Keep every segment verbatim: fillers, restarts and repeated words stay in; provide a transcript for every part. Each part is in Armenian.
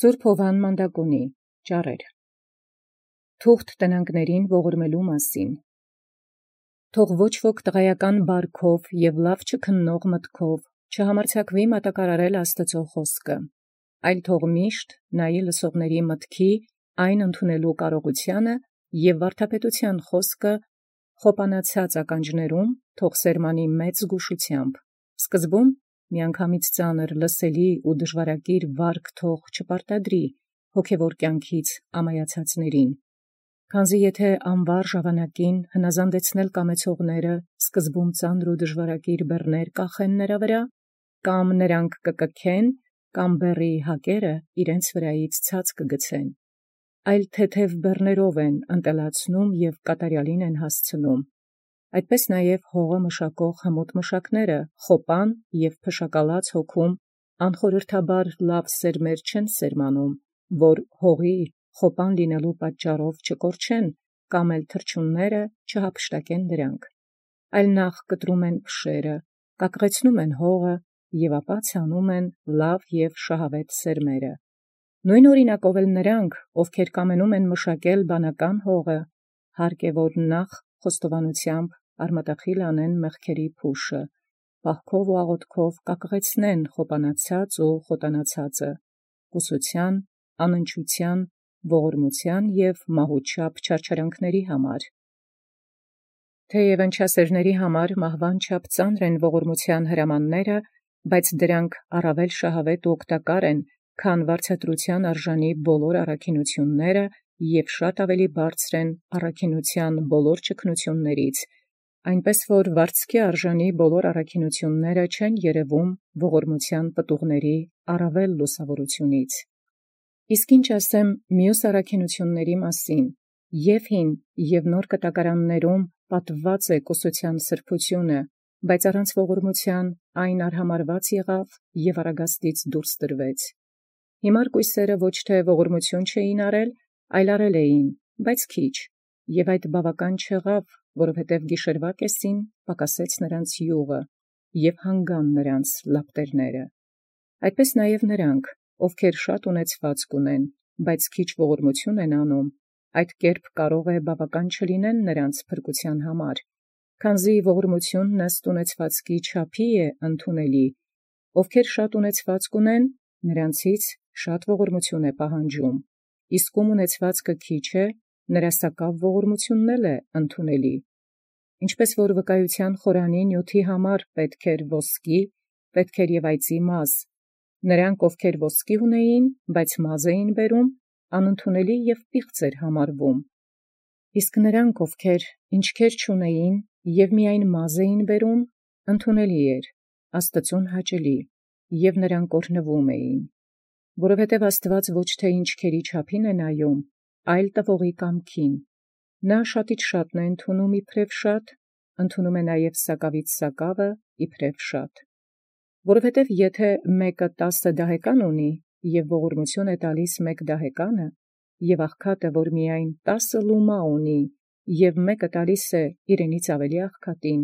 Սուրբ Հովան Մանդակոնի ճառեր թուղթ տնանկներին ողորմելու մասին։ Թող ոչ ոք տղայական բարքով և լավ չքննող մտքով չհամարձակվի մատակարարել Աստուծո խոսքը, այլ թող միշտ նայի լսողների մտքի այն ընդունելու կարողությանը և վարդապետության խոսքը խոպանացած ականջներում թող սերմանի մեծ զգուշությամբ, սկզբում միանգամից ծանր լսելի ու դժվարագիր վարք թող չպարտադրի հոգևոր կյանքից ամայացածներին, քանզի եթե անվար ժամանակին հնազանդեցնել կամեցողները սկզբում ծանր ու դժվարագիր բեռներ կախեն նրա վրա, կամ նրանք կկքեն, կամ բեռի հակերը իրենց վրայից ցած կգցեն, այլ թեթև բեռներով են ընտելացնում և կատարյալին են հասցնում, այդպես նաև հողը մշակող հմուտ մշակները խոպան և փշակալած հոգում անխորհրդաբար լավ սերմեր չեն սերմանում, որ հողի խոպան լինելու պատճառով չկորչեն, կամ էլ թռչունները չհափշտակեն դրանք, այլ նախ կտրում են փշերը, կակղեցնում են հողը և ապա ցանում են լավ և շահավետ սերմերը։ Նույն օրինակով էլ նրանք, ովքեր կամենում են մշակել բանական հողը, հարկ է, որ նախ խոստովանությամբ արմատախիլ անեն մեղքերի փուշը, պահքով ու աղոթքով կակղեցնեն խոպանացած ու խոտանացածը, կուսության, անընչության, ողորմության և մահուչապ չարչարանքների համար։ Թեև ընչասերների համար մահվան չափ ծանր են ողորմության հրամանները, բայց դրանք առավել շահավետ ու օգտակար են, քան վարձատրության արժանի բոլոր առաքինութիւնները և շատ ավելի բարձր են առաքինութեան բոլոր ճգնութիւններից, այնպէս որ վարձքի արժանի բոլոր առաքինութիւնները չեն երևում ողորմության պտուղների առավել լուսաւորութիւնից։ Իսկ ինչ ասեմ մյուս առաքինութիւնացն մասին, և հին և նոր կտակարաններում պատուած է կուսութեան սրբութիւնը, բայց առանց ողորմութեան այն արհամարհված եղավ և առագաստից դուրս տրվեց։ Հիմար կոյսերը ոչ թե ողորմութիւն չէին առել, այլ առել էին, բայց քիչ, և այդ բաւական չեղավ, որովհետև գիշերվա կեսին պակասեց նրանց իւղը, և հանգան նրանց լապտերները։ Այդպես նաև նրանք, ովքեր շատ ունեցվածք ունեն, բայց քիչ ողորմութիւն են անում, այդ կերպ կարող է բաւական չլինեն նրանց փրկութեան համար, քանզի ողորմութիւնն ըստ ունեցվածքի չափի է ընդունելի, ովքեր շատ ունեցվածք ունեն, նրանցից շատ ողորմութիւն է պահանջում, իսկ ում ունեցվածքը քիչ է, նրա սակաւ ողորմութիւնն էլ է ընդունելի։ Ինչպես որ վկայութեան խորանի նիւթի համար պետք էր ոսկի, պետք էր և այծի մազ, նրանք, ովքեր ոսկի ունեին, բայց մազ էին բերում, անընդունելի և պիղծ էր համարվում, իսկ նրանք, ովքեր ինչքեր չունեին և միայն մազ էին բերում, ընդունելի էր, Աստուծոյ հաճելի, և նրանք օրհնվում էին, որովհետև Աստուած ոչ թե ինչքերի չափին է նայում, այլ տվողի կամքին. նա շատից շատն է ընդունում իբրև շատ, ընդունում է նաև սակավից սակավը իբրև շատ։ Որովհետև եթե մեկը տասը դահեկան ունի, և ողորմութիւն է տալիս մեկ դահեկանը, և աղքատը, որ միայն տասը լումա ունի, և մեկը տալիս է իրենից ավելի աղքատին,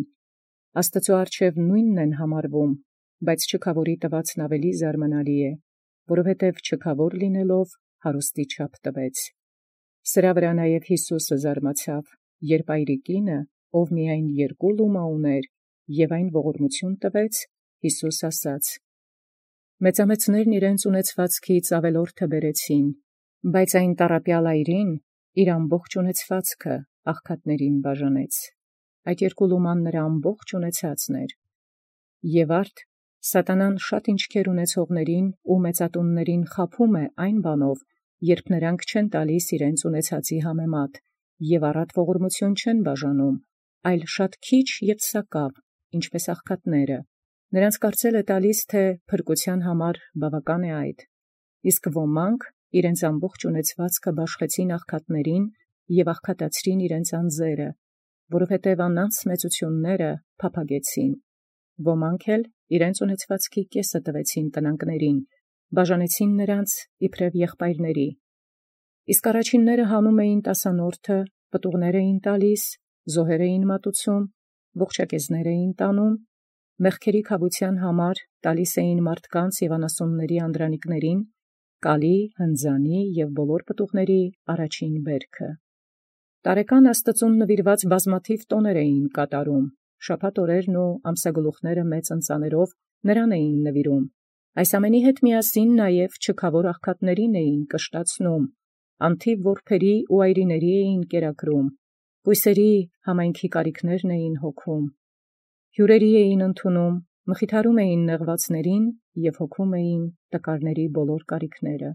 Աստուծոյ առջև նույնն են համարվում, բայց չքաւորի տուածն ավելի զարմանալի է, որովհետև չքաւոր լինելով հարուստի չափ տվեց։ Սրա վրա նաև Յիսուսը զարմացավ, երբ այրիկինը, ով միայն երկու լումա ուներ, և այն ողորմութիւն տվեց, Յիսուս ասաց. «Մեծամեծներն իրենց ունեցվածքից ավելորդը բերեցին, բայց այն տառապեալ այրին իր ամբողջ ունեցվածքը աղքատներին բաժանեց. այդ երկու լուման նրա ամբողջ ունեցածն էր»։ Եւ արդ սատանան շատ ինչքեր ունեցողացն ու մեծատունացն խաբում է այն բանով, երբ նրանք չեն տալիս իրենց ունեցածի համեմատ, և առատ ողորմութիւն չեն բաժանում, այլ շատ քիչ և սակաւ, ինչպէս աղքատները, նրանց կարծել է տալիս, թէ փրկութեան համար բաւական է այդ, իսկ ոմանք իրենց ամբողջ ունեցվածքը բաշխեցին աղքատներին և աղքատացրին իրենց անձերը, որովհետև անոնց մեծութիւնսն փափագեցին, ոմանք էլ իրենց ունեցվածքի կեսը տվեցին տնանկներին, բաժանեցին նրանց իբրև եղբայրների։ Իսկ առաջինները հանում էին տասանորդը, պտուղներ էին տալիս, զոհեր էին մատուցում, ողջակեզներ էին տանում, մեղքերի քավութեան համար տալիս էին մարդկանց և անասունների անդրանիկներին, կալի, հնձանի և բոլոր պտուղների առաջին բերքը։ Տարեկան Աստծուն նվիրված բազմաթիվ տոներ էին կատարում, շաբաթ օրերն ու ամսագլուխները մեծ ընծաներով նրան էին նվիրում, այս ամենի հետ միասին նաև չքավոր աղքատներին էին կշտացնում, անթիվ որբերի ու այրիների էին կերակրում, պույսերի համայնքի կարիքներն էին հոգում, հյուրերի էին ընդունում, մխիթարում էին նեղվածներին և հոգում էին տկարների բոլոր կարիքները։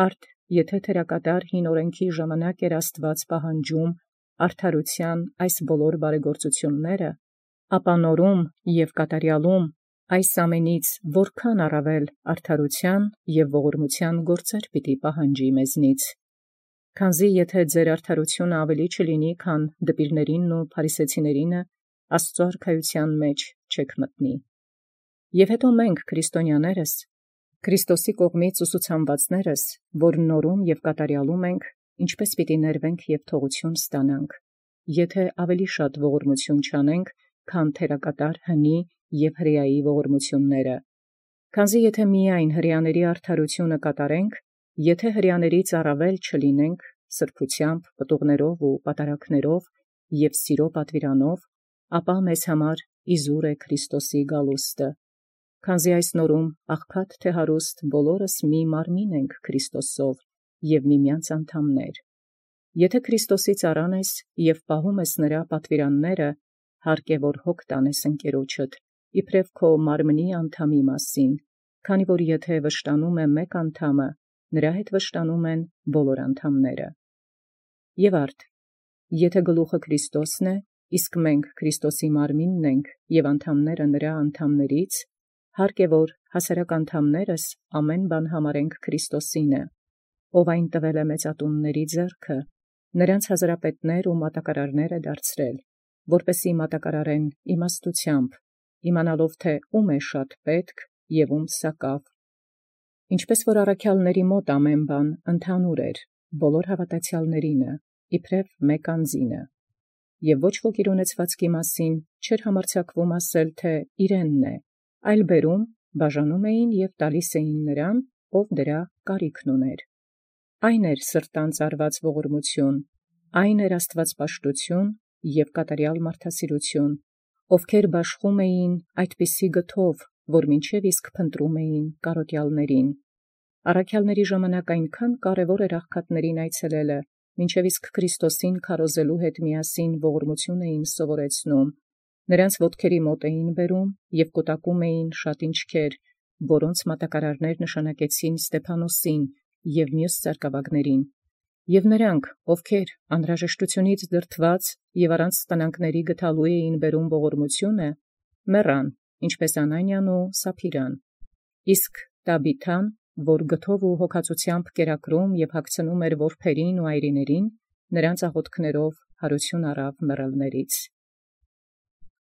Արդ եթե թերակատար հին օրենքի ժամանակ էր Աստված պահանջում արդարության այս բոլոր բարեգործությունները, ապա նորում և կատարյալում այս ամենից որքան առավել արդարության և ողորմության գործեր պիտի պահանջի մեզնից։ Քանզի եթե ձեր արդարությունը ավելի չլինի, քան դպիրներինն ու փարիսեցիներինը, Աստուծոյ արքայութեան մեջ չեք մտնի։ Եւ հետո մենք քրիստոնյաներս, Քրիստոսի կողմից ուսուցանվածներս, որ նորում և կատարյալում ենք, ինչպէս պիտի ներվենք և թողութիւն ստանանք, եթե ավելի շատ ողորմություն չանենք, քան թերակատար հնի և հրեայի ողորմությունները։ Քանզի եթե միայն հրեաների արդարությունը կատարենք, եթե հրեաներից առավել չլինենք սրբութեամբ, պտուղներով ու պատարագներով և սիրո պատվիրանով, ապա մեզ համար իզուր է Քրիստոսի գալուստը։ Քանզի այս նորում աղքատ թե հարուստ բոլորս մի մարմին ենք Քրիստոսով և միմյանց անդամներ։ Եթե Քրիստոսի ծառան ես և պահում ես նրա պատվիրանները, հարկ է որ հոգ տանես ընկերոջդ, իբրև քո մարմնի անդամի մասին, քանի որ եթե վշտանում է մեկ անդամը, նրա հետ վշտանում են բոլոր անդամները։ Եւ արդ, եթե գլուխը Քրիստոսն է, իսկ մենք Քրիստոսի մարմինն ենք և անդամները նրա անդամներից, հարկ է որ հասարակ անդամներս ամեն բան համարենք Քրիստոսինը, ով այն տվել է մեծատունների ձեռքը, նրանց հազրապետներ ու մատակարարներ է դարձրել, որպեսզի մատակարարեն իմաստութեամբ, իմանալով թե ում է շատ պետք և ում սակավ։ Ինչպես որ առաքյալների մոտ ամեն բան ընդհանուր էր, բոլոր հաւատացեալներինը, իբրև մեկ անձինը, և ոչ ոք իր ունեցվածքի մասին չէր համարձակվում ասել, թե իրենն է, այլ բերում, բաժանում էին և տալիս էին նրան, ով դրա կարիքն ուներ։ Այն էր սրտան ծարված ողորմություն, այն էր աստվածպաշտություն և կատարյալ մարդասիրություն, ովքեր բաշխում էին այդպիսի գթով, որ մինչև իսկ փնտրում էին կարոտյալներին։ Առաքյալների ժամանակ այնքան կարևոր էր աղքատներին այցելելը, մինչև իսկ Քրիստոսին քարոզելու հետ միասին ողորմություն էին սովորեցնում, նրանց ոտքերի մոտ էին բերում և կուտակում էին շատ ինչքեր, որոնց մատակարարներ նշանակեցին Ստեփանոսին և մյուս ծառգավագներին, և նրանք, ովքեր անհրաժեշտությունից դրդված և առանց տնանքների գտալու էին բերում ողորմությունը, մեռան, ինչպես Անանիան ու Սափիրան, իսկ Տաբիթան, որ գթով ու հոգածութեամբ կերակրում և հագցնում էր որբերին ու այրիներին, նրանց աղոթքներով հարություն առավ մեռելներից։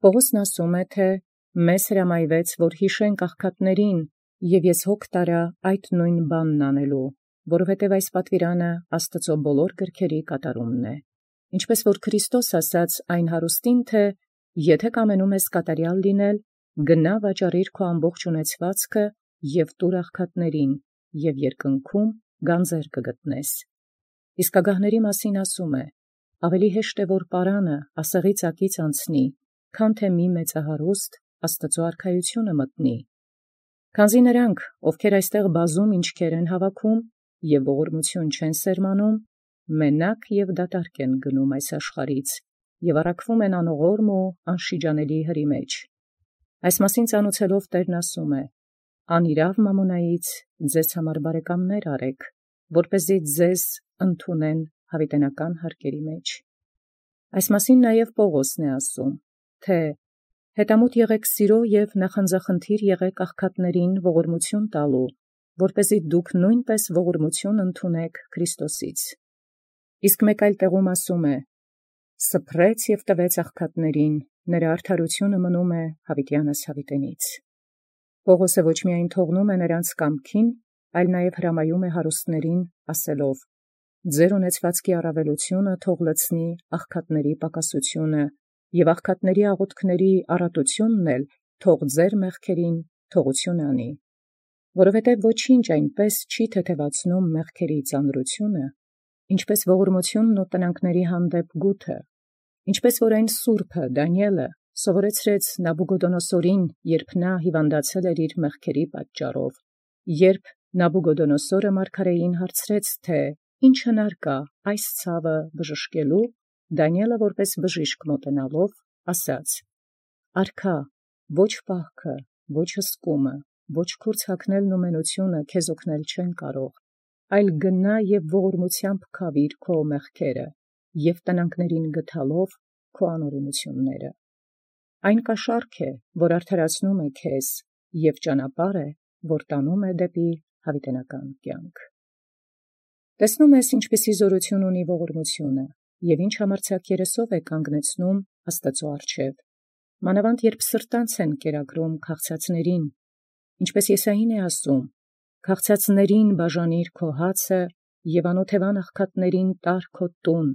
Պաւղոսն ասում է, թէ «Մեզ հրամայեաց, որ յիշենք աղքատներին, և ես հոգ տարա այդ նոյն բանն անելու, որովհետև այս պատվիրանը Աստուծոյ բոլոր գրքերի կատարումն է։ Ինչպես որ Քրիստոս ասաց այն հարուստին, թէ «Եթե կամենում ես կատարյալ լինել, գնա վաճառիր քո ամբողջ ունեցվածքը և տուր աղքատներին, և երկնքում գանձեր կգտնես»։ Իսկ ագահների մասին ասում է. «Ավելի հեշտ է, որ պարանը ասեղի ծակից անցնի, քան թէ մի մեծահարուստ Աստուծոյ արքայութիւնը մտնի»։ Քանզի նրանք, ովքեր այստեղ բազում ինչքեր են հավաքում և ողորմություն չեն սերմանում, մենակ և դատարկ են գնում այս աշխարհից և առաքվում են անողորմ ու անշիջանելի հրի մեջ։ Այս մասին ծանուցելով Տէրն ասում է. «Անիրաւ մամոնայից ձեզ համար բարեկամներ արեք, որպեսզի ձեզ ընդունեն յաւիտենական հարկերի մեջ»։ Այս մասին նաև Պաւղոսն է ասում, թէ «Հետամուտ եղեք սիրո և նախանձախնդիր եղեք աղքատներին ողորմություն տալու, որպեսզի դուք նույնպես ողորմություն ընդունեք Քրիստոսից»։ Իսկ մեկ այլ տեղում ասում է. «Սփռեց և տվեց աղքատներին, նրա արդարությունը մնում է յաւիտեանս յաւիտենից»։ Պաւղոսը ոչ միայն թողնում է նրանց կամքին, այլ նաև հրամայում է հարուստներին ասելով. «Ձեր ունեցվածքի առավելությունը թող լցնի աղքատների պակասությունը, և աղքատների աղոթքների առատությունն էլ թող ձեր մեղքերին թողություն անի»։ Որովհետև ոչինչ այնպես չի թեթևացնում մեղքերի ծանրությունը, ինչպես ողորմությունն ու տնանքների հանդեպ գութը, ինչպես որ այն սուրբը Դանիէլը սովորեցրեց Նաբուգոդոնոսորին, երբ նա հիվանդացել էր իր մեղքերի պատճառով, երբ Նաբուգոդոնոսորը մարգարեին հարցրեց, թե ինչ հնար կա այս ցավը բժշկելու, Դանիէլը որպես բժիշկ մոտենալով ասաց. «Արքա, ոչ պահքը, ոչ հսկումը, ոչ քուրձ հագնելն ու մենությունը քեզ օգնել չեն կարող, այլ գնա և ողորմութեամբ քավիր քո մեղքերը և տնանքներին գթալով քո անօրենությունները։ Այն կաշառք է, որ արդարացնում է քեզ, և ճանապարհ է, որ տանում է դեպի յաւիտենական կյանք»։ Տեսնում ես, ինչպիսի զորություն ունի ողորմությունը, և ինչ համարձակ երեսով է կանգնեցնում Աստուծոյ առջև, մանավանդ երբ սրտանց են կերակրում քաղցածներին, ինչպես Եսային է ասում. «Քաղցածներին բաժանիր քո հացը, և անօթևան աղքատներին տար քո տուն.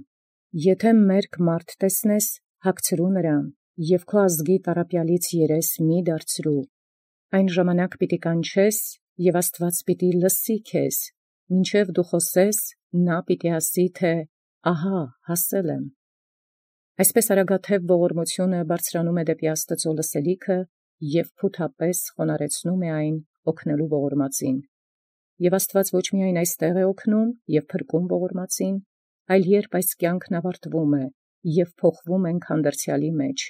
եթե մերկ մարդ տեսնես, հագցրու նրան, և քո ազգի տառապեալից երես մի՛ դարձրու։ Այն ժամանակ պիտի կանչես, և Աստուած պիտի լսի քեզ, մինչև դու խոսես, նա պիտի ասի, թե «Ահա հասել եմ»։ Այսպես արագաթև ողորմությունը բարձրանում է դեպի Աստուծոյ լսելիքը և փութապես խոնարհեցնում է այն օգնելու ողորմածին։ Եւ Աստուած ոչ միայն այստեղ է օգնում և փրկում ողորմածին, այլ երբ այս կյանքն ավարտվում է և փոխվում ենք հանդերձյալի մեջ,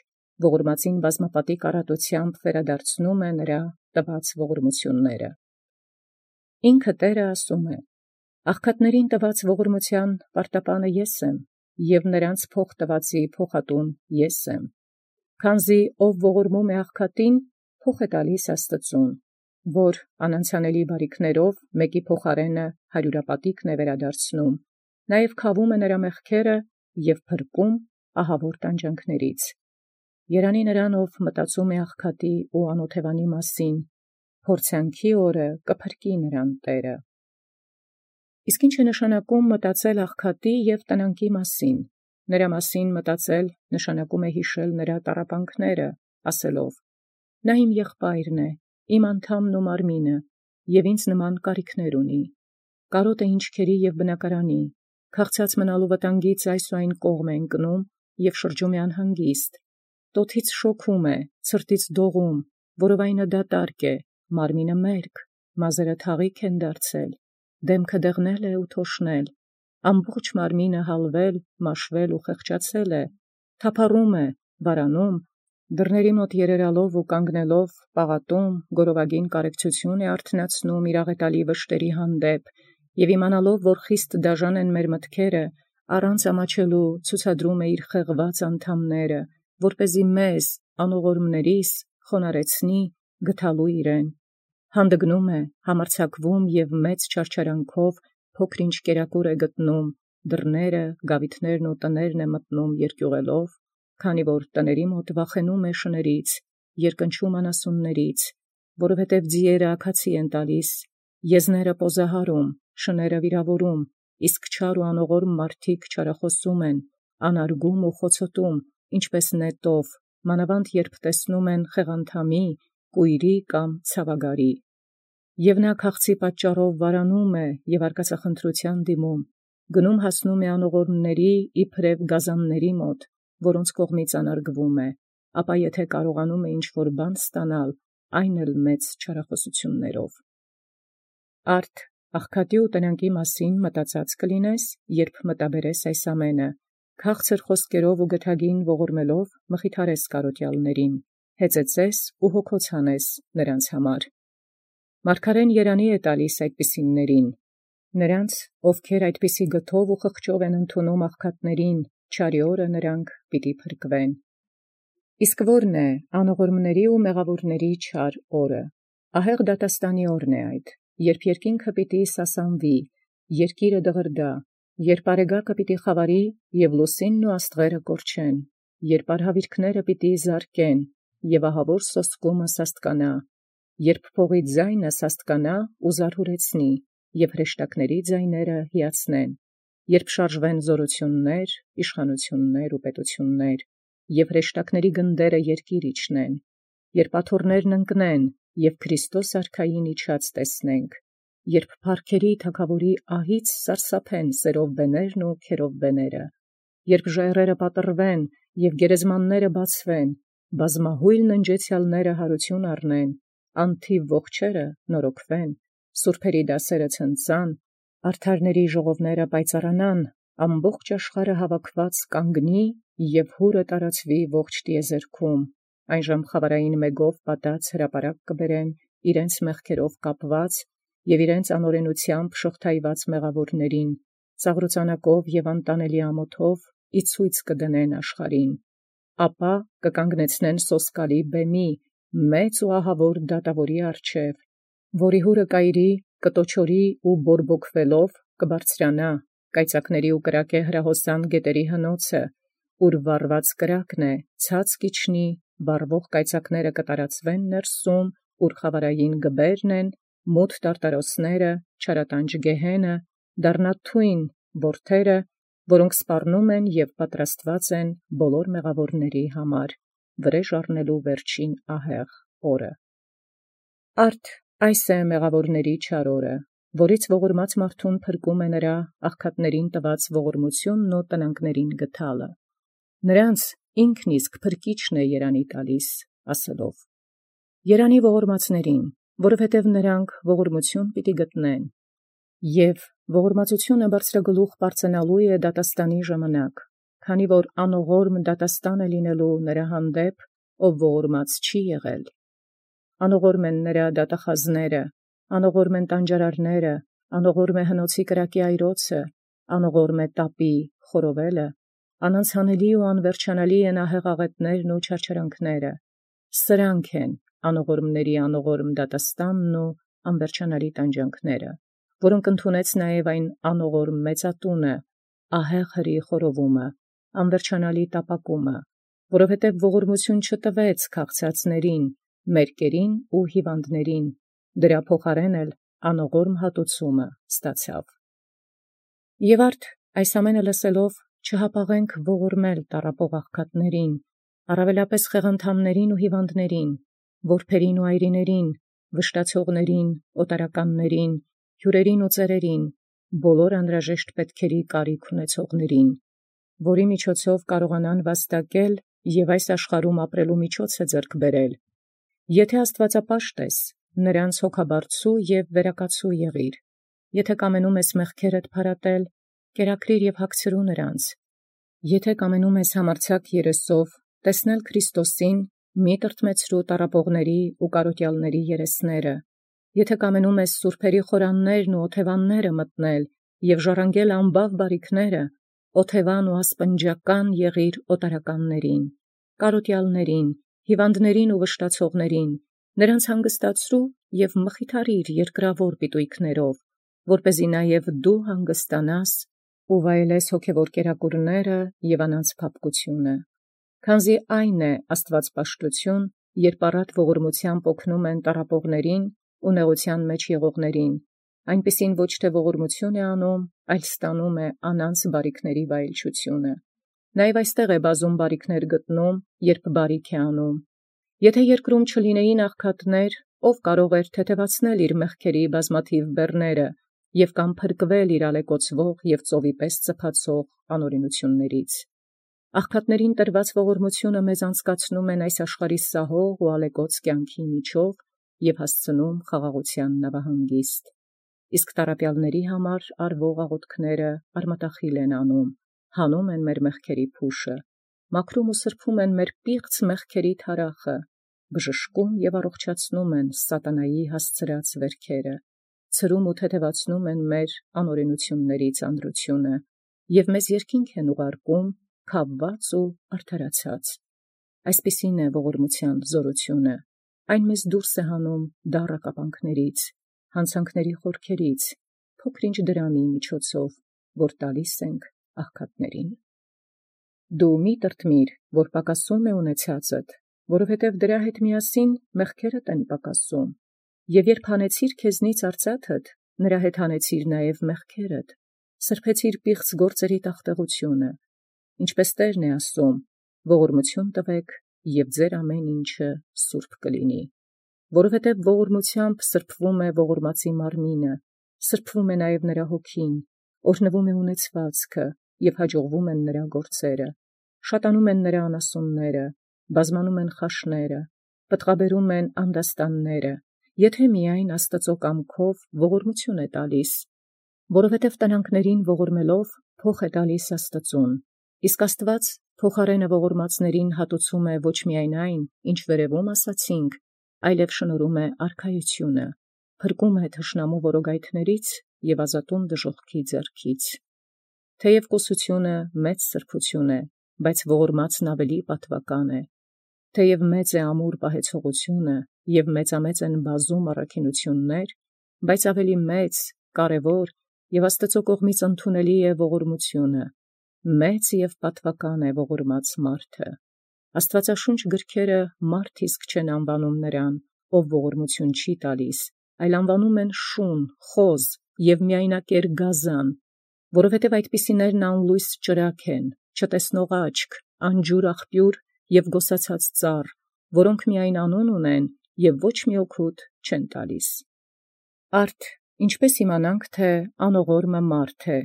ողորմածին բազմապատիկ առատությամբ վերադարձնում է նրա տված ողորմությունները։ Ինքը Տէրը ասում է. «Աղքատներին տված ողորմութեան պարտապանը ես եմ, և նրանց փոխ տվածի փոխատուն ես եմ։ Քանզի ով ողորմում է աղքատին, փոխ է տալիս Աստուծուն, որ անանցանելի բարիքներով մեկի փոխարենը հարյուրապատիկն է վերադարձնում, նաև քավում է նրա մեղքերը և փրկում ահավոր տանջանքներից։ Երանի նրան, ով մտածում է աղքատի ու անօթևանի մասին, փորձանքի օրը կփրկի նրան Տէրը»։ Իսկ ի՞նչ է նշանակում մտածել աղքատի և տնանքի մասին։ Նրա մասին մտածել նշանակում է հիշել նրա տառապանքները, ասելով. «Նա իմ եղբայրն է, իմ անդամն ու մարմինը, և ինձ նման կարիքներ ունի։ Կարոտ է ինչքերի և բնակարանի, քաղցած մնալու վտանգից այս ու այն կողմ է ընկնում և շրջում է անհանգիստ։ Տոթից շոքում է, ցրտից դողում, որովայնը դատարկ է, մարմինը մերկ, մազերը թաղիք են դարձել, դեմքը դեղնել է ու թոշնել, ամբողջ մարմինը հալվել, մաշվել ու խեղճացել է, թափառում է, վարանում, դռների մոտ երերալով ու կանգնելով պաղատում, գորովագին կարեկցություն է արթնացնում իր աղետալի վշտերի հանդեպ, և իմանալով, որ խիստ դաժան են մեր մտքերը, առանց ամաչելու ցուցադրում է իր խեղված անդամները, որպեսզի մեզ անողորմներիս խոնարհեցնի գթալու իրեն, հանդգնում է, համարձակվում և մեծ չարչարանքով փոքր-ինչ կերակուր է գտնում, դռները, գաւիթներն ու տներն է մտնում երկյուղելով, քանի որ տների մոտ վախենում է շներից, երկնչում անասուններից, որովհետև ձիերը աքացի են տալիս, եզները պոզահարում, շները վիրավորում, իսկ չար ու անողորմ մարդիկ չարախոսում են, անարգում ու խոցոտում, ինչպես նետով, մանավանդ երբ տեսնում են խեղանդամի, կույրի կամ ցաւագարի։ Եւ նա քաղցի պատճառով վարանում է և արկածախնդրութեան դիմում, գնում հասնում է անողորմների իբրև գազանների մոտ, որոնց կողմից անարգվում է, ապա եթե կարողանում է ինչ-որ բան ստանալ, այն էլ մեծ չարախոսություններով։ Արդ աղքատի ու տնանքի մասին մտածած կլինես, երբ մտաբերես այս ամենը, քաղցր խոսքերով ու գթագին ողորմելով մխիթարես կարոտյալներին, հեծեծես ու հոգոց հանես նրանց համար։ Մարգարեն երանի է տալիս այդպիսիներին, նրանց, ովքեր այդպիսի գթով ու խղճով են ընդունում աղքատներին, չարի օրը նրանք պիտի փրկվեն։ Իսկ ո՞րն է անողորմների ու մեղավորների չար օրը։ Ահեղ դատաստանի օրն է այդ, երբ երկինքը պիտի սասանվի, երկիրը դղրդա, երբ արեգակը պիտի խավարի և լուսինն ու աստղերը կորչեն, երբ արհավիրքները պիտի զարկեն, և ահավոր սոսկումը սաստկանա, երբ փողի ձայնը սաստկանա ու զարհուրեցնի, և հրեշտակների ձայները հիացնեն, երբ շարժվեն զորություններ, իշխանություններ ու պետություններ, և հրեշտակների գնդերը երկիր իջնեն, երբ աթոռներն ընկնեն, և Քրիստոս արքային իջած տեսնենք, երբ փառքերի թագաւորի ահից սարսափեն սերովբեներն ու քերովբեները, երբ ժայռերը պատռվեն և գերեզմանները բացվեն, բազմահույլ ննջեցեալները յարություն առնեն, անթիվ ողջերը նորոգվեն, սուրբերի դասերը ցնծան, արդարների ժողովները պայծառանան, ամբողջ աշխարհը հավաքված կանգնի և հուրը տարածվի ողջ տիեզերքում, այնժամ խավարային մեգով պատած հրապարակ կբերեն իրենց մեղքերով կապված և իրենց անօրենութեամբ շղթայված մեղավորներին, ծաղրուծանակով և անտանելի ամոթով իցոյց կդնեն աշխարհին, ապա կկանգնեցնեն սոսկալի բեմի, մեծ ու ահավոր դատաւորի առջև, որի հուրը կայրի, կտոչորի ու բորբոքվելով կբարձրանա, կայծակների ու կրակե հրահոսան գետերի հնոցը, ուր վառված կրակն է, ցած կիջնի, վառվող կայծակները կտարածվեն ներսում, ուր խավարային գբերն են, մութ տարտարոսները, չարատանջ գեհենը, դառնա թույն որդերը, որոնք սպառնում են և պատրաստված են բոլոր մեղավորների համար, վրեժ առնելու վերջին ահեղ օրը։ Արդ այս է մեղավորների չար օրը, որից ողորմած մարդուն փրկում է նրա աղքատներին տված ողորմությունն ու տնանկներին գթալը։ Նրանց ինքն իսկ փրկիչն է երանի տալիս, ասելով. «Երանի ողորմածներին, որովհետև նրանք ողորմություն պիտի գտնեն, և ողորմածությունը բարձրագլուխ պարծենալու է դատաստանի ժամանակ, քանի որ անողորմ դատաստան է լինելու նրա հանդեպ, ով ողորմած չի եղել։ Անողորմ են նրա դատախազները, անողորմ են տանջարարները, անողորմ է հնոցի կրակի այրոցը, անողորմ է տապի խորովելը, անանցանելի ու անվերջանալի են ահեղ աղետներն ու չարչարանքները։ Սրանք են անողորմների անողորմ դատաստանն ու անվերջանալի տանջանքները, որոնք ընդունեց նաև այն անողորմ մեծատունը, ահեղ հրի խորովումը, անվերջանալի տապակումը, որովհետև ողորմություն չտվեց քաղցածներին, մերկերին ու հիվանդներին, դրա փոխարեն էլ անողորմ հատուցումը ստացավ։ Եւ արդ այս ամենը լսելով չհապաղենք ողորմել տառապող աղքատներին, առավելապես խեղանդամներին ու հիվանդներին, որբերին ու այրիներին, վշտացողներին, օտարականներին, հյուրերին ու ծերերին, բոլոր անհրաժեշտ պետքերի կարիք ունեցողներին, որի միջոցով կարողանան վաստակել և այս աշխարհում ապրելու միջոցը ձեռք բերել։ Եթե աստվածապաշտ ես, նրանց հոգաբարձու և վերակացու եղիր, եթե կամենում ես մեղքերդ փարատել, կերակրիր և հագցրու նրանց, եթե կամենում ես համարձակ երեսով տեսնել Քրիստոսին, մի տրտմեցրու տառապողների ու կարոտյալների երեսները, եթե կամենում ես սուրբերի խորաններն ու օթևանները մտնել և ժառանգել ամբավ բարիքները, օթևան ու ասպնջական եղիր օտարականներին, կարոտյալներին, հիվանդներին ու վշտացողներին, նրանց հանգստացրու և մխիթարիր երկրավոր պիտոյիքներով, որպեսզի նաև դու հանգստանաս ու վայելես հոգևոր կերակուրները և անանց փափկությունը։ Քանզի այն է աստվածպաշտություն, երբ առատ ողորմությամբ օգնում են տառապողներին ու նեղության մեջ եղողներին, այնպիսին ոչ թե ողորմություն է անում, այլ ստանում է անանց բարիքների վայելչությունը։ Նաև այստեղ է բազում բարիքներ գտնում, երբ բարիք է անում։ Եթե երկրում չլինեին աղքատներ, ով կարող էր թեթևացնել իր մեղքերի բազմաթիվ բեռները և կամ փրկվել իր ալեկոծվող և ծովի պես ծփացող անօրենություններից։ Աղքատներին տրված ողորմությունը մեզ անցկացնում են այս աշխարհի սահող ու ալեկոծ կյանքի միջով և հասցնում խաղաղության նավահանգիստ։ Իսկ տառապյալների համար արվող աղոթքները արմատախիլ են անում, հանում են մեր մեղքերի փուշը, մաքրում ու սրբում են մեր պիղծ մեղքերի թարախը, բժշկում և առողջացնում են սատանայի հասցրած վերքերը, ցրում ու թեթևացնում են մեր անօրենությունների ծանրությունը և մեզ երկինք են ուղարկում քավված ու արդարացած։ Այսպիսին է ողորմության զորությունը, այն մեզ դուրս է հանում դառը կապանքներից, հանցանքների խորքերից, փոքր-ինչ դրամի միջոցով, որ տալիս ենք աղքատներին։ Դու մի տրտմիր, որ պակասում է ունեցածդ, որովհետև դրա հետ միասին մեղքերդ են պակասում, և երբ հանեցիր քեզնից արծաթդ, նրա հետ հանեցիր նաև մեղքերդ, սրբեցիր պիղծ գործերի տախտեղությունը, ինչպես Տերն է ասում. ողորմություն տվեք, և ձեր ամեն ինչը սուրբ կլինի, որովհետև ողորմութեամբ սրբվում է ողորմածի մարմինը, սրբվում է նաև նրա հոգին, օրհնվում է ունեցվածքը, և հաջողվում են նրա գործերը, շատանում են նրա անասունները, բազմանում են խաշները, պտղաբերում են անդաստանները, եթե միայն Աստծո կամքով ողորմություն է տալիս, որովհետև տնանքներին ողորմելով փոխ է տալիս Աստծուն, իսկ Աստված փոխարենը ողորմածներին հատուցում է ոչ միայն այն, ինչ վերևում ասացինք, այլև շնորհում է արքայությունը, փրկում է թշնամու որոգայթներից և ազատում դժոխքի ձեռքից։ Թեև կուսությունը մեծ սրբություն է, բայց ողորմածն ավելի պատվական է։ Թեև մեծ է ամուր պահեցողությունը և մեծամեծ են բազում առաքինություններ, բայց ավելի մեծ, կարևոր և Աստծո կողմից ընդունելի է ողորմությունը, մեծ և պատվական է ողորմած մարդը։ Աստվածաշունչ գրքերը մարդ իսկ չեն անվանում նրան, ով ողորմություն չի տալիս, այլ անվանում են շուն, խոզ և միայնակեր գազան, որովհետև այդպիսիներն անլույս ճրագ են, չտեսնող աչք, անջուր աղբյուր և գոսացած ծառ, որոնք միայն անուն ունեն և ոչ մի օգուտ չեն տալիս։ Արդ ինչպէս իմանանք, թէ անողորմը մարդ է,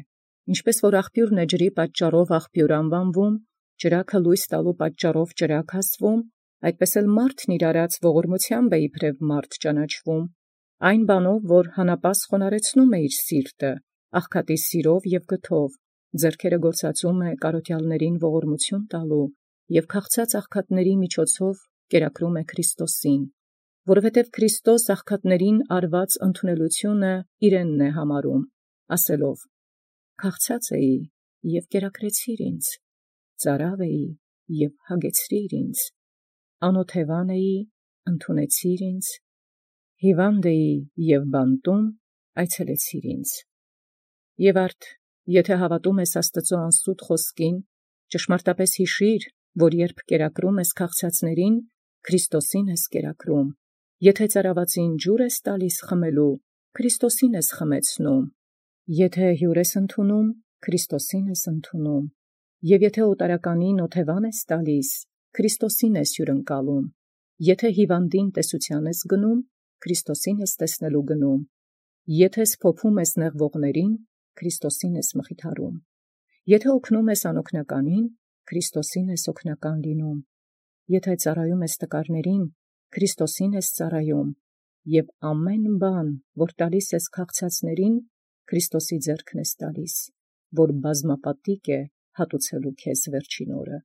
ինչպէս որ աղբիւրն է ջրի պատճառով աղբիւր անվանվում, ճրագը լույս տալու պատճառով ճրագ ասվում, այդպէս էլ մարդն իր արած ողորմութեամբ է իբրև մարդ ճանաչվում, այն բանով, որ հանապազս խոնարեցնում է իր սիրտը, աղքատի սիրով և գթով, ձեռքերը գործածում է կարոթյալներին ողորմություն տալու և քաղցած աղքատների միջոցով կերակրում է Քրիստոսին, որովհետև Քրիստոս աղքատներին արված ընդունելությունը իրենն է համարում, ասելով. «Քաղցած էի և կերակրեցիր ինձ, ծարաւ էի և հագեցրիր ինձ, անօթևան էի, ընդունեցիր ինձ, հիւանդ էի և բանտում, այցելեցիր ինձ»։ Եւ արդ եթե հավատում ես Աստծո անսուտ խոսքին, ճշմարտապես յիշիր, որ երբ կերակրում ես քաղցածներին, Քրիստոսին ես կերակրում, եթե ծարավածին ջուր ես տալիս խմելու, Քրիստոսին ես խմեցնում, եթե հյուր ես ընդունում, Քրիստոսին ես ընդունում, և եթե օտարականին օթևան ես տալիս, Քրիստոսին ես հյուրընկալում, եթե հիվանդին տեսության ես գնում, Քրիստոսին ես տեսնելու գնում, եթե սփոփում ես նեղվողներին, Քրիստոսին ես մխիթարում, եթե օգնում ես անօգնականին, Քրիստոսին ես օգնական լինում, եթե ծառայում ես տկարներին, Քրիստոսին ես ծառայում, և ամեն բան, որ տալիս ես քաղցածներին, Քրիստոսի ձեռքն ես տալիս, որ բազմապատիկ է հատուցելու քեզ վերջին օրը,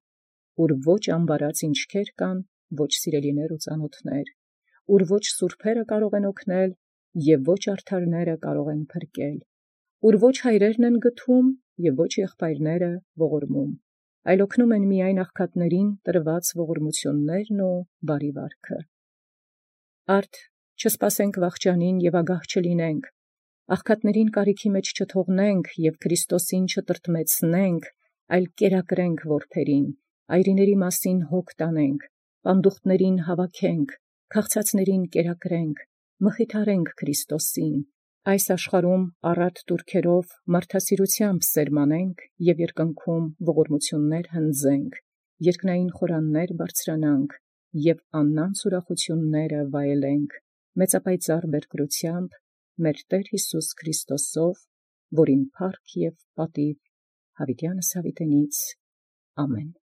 ուր ոչ ամբարած ինչքեր կան, ոչ սիրելիներ ու ծանոթներ, ուր ոչ սուրբերը կարող են օգնել, և ոչ արդարները կարող են փրկել, ուր ոչ հայրերն են գթում, և ոչ եղբայրները ողորմում, այլ օգնում են միայն աղքատներին տրված ողորմություններն ու բարի վարքը։ Արդ չսպասենք վախճանին և ագահ չլինենք, աղքատներին կարիքի մեջ չթողնենք և Քրիստոսին չտրտմեցնենք, այլ կերակրենք որբերին, այրիների մասին հոգ տանենք, պանդուխտներին հավաքենք, քաղցածներին կերակրենք, մխիթարենք Քրիստոսին, այս աշխարհում առատ տուրքերով մարդասիրութեամբ սերմանենք և երկնքում ողորմություններ հնձենք, երկնային խորաններ բարձրանանք և աննանց ուրախութիւնները վայելենք մեծապայծառ բերկրութեամբ մեր Տեր Յիսուս Քրիստոսով, որին փառք և պատիւ յաւիտյանս յաւիտենից։ Ամեն։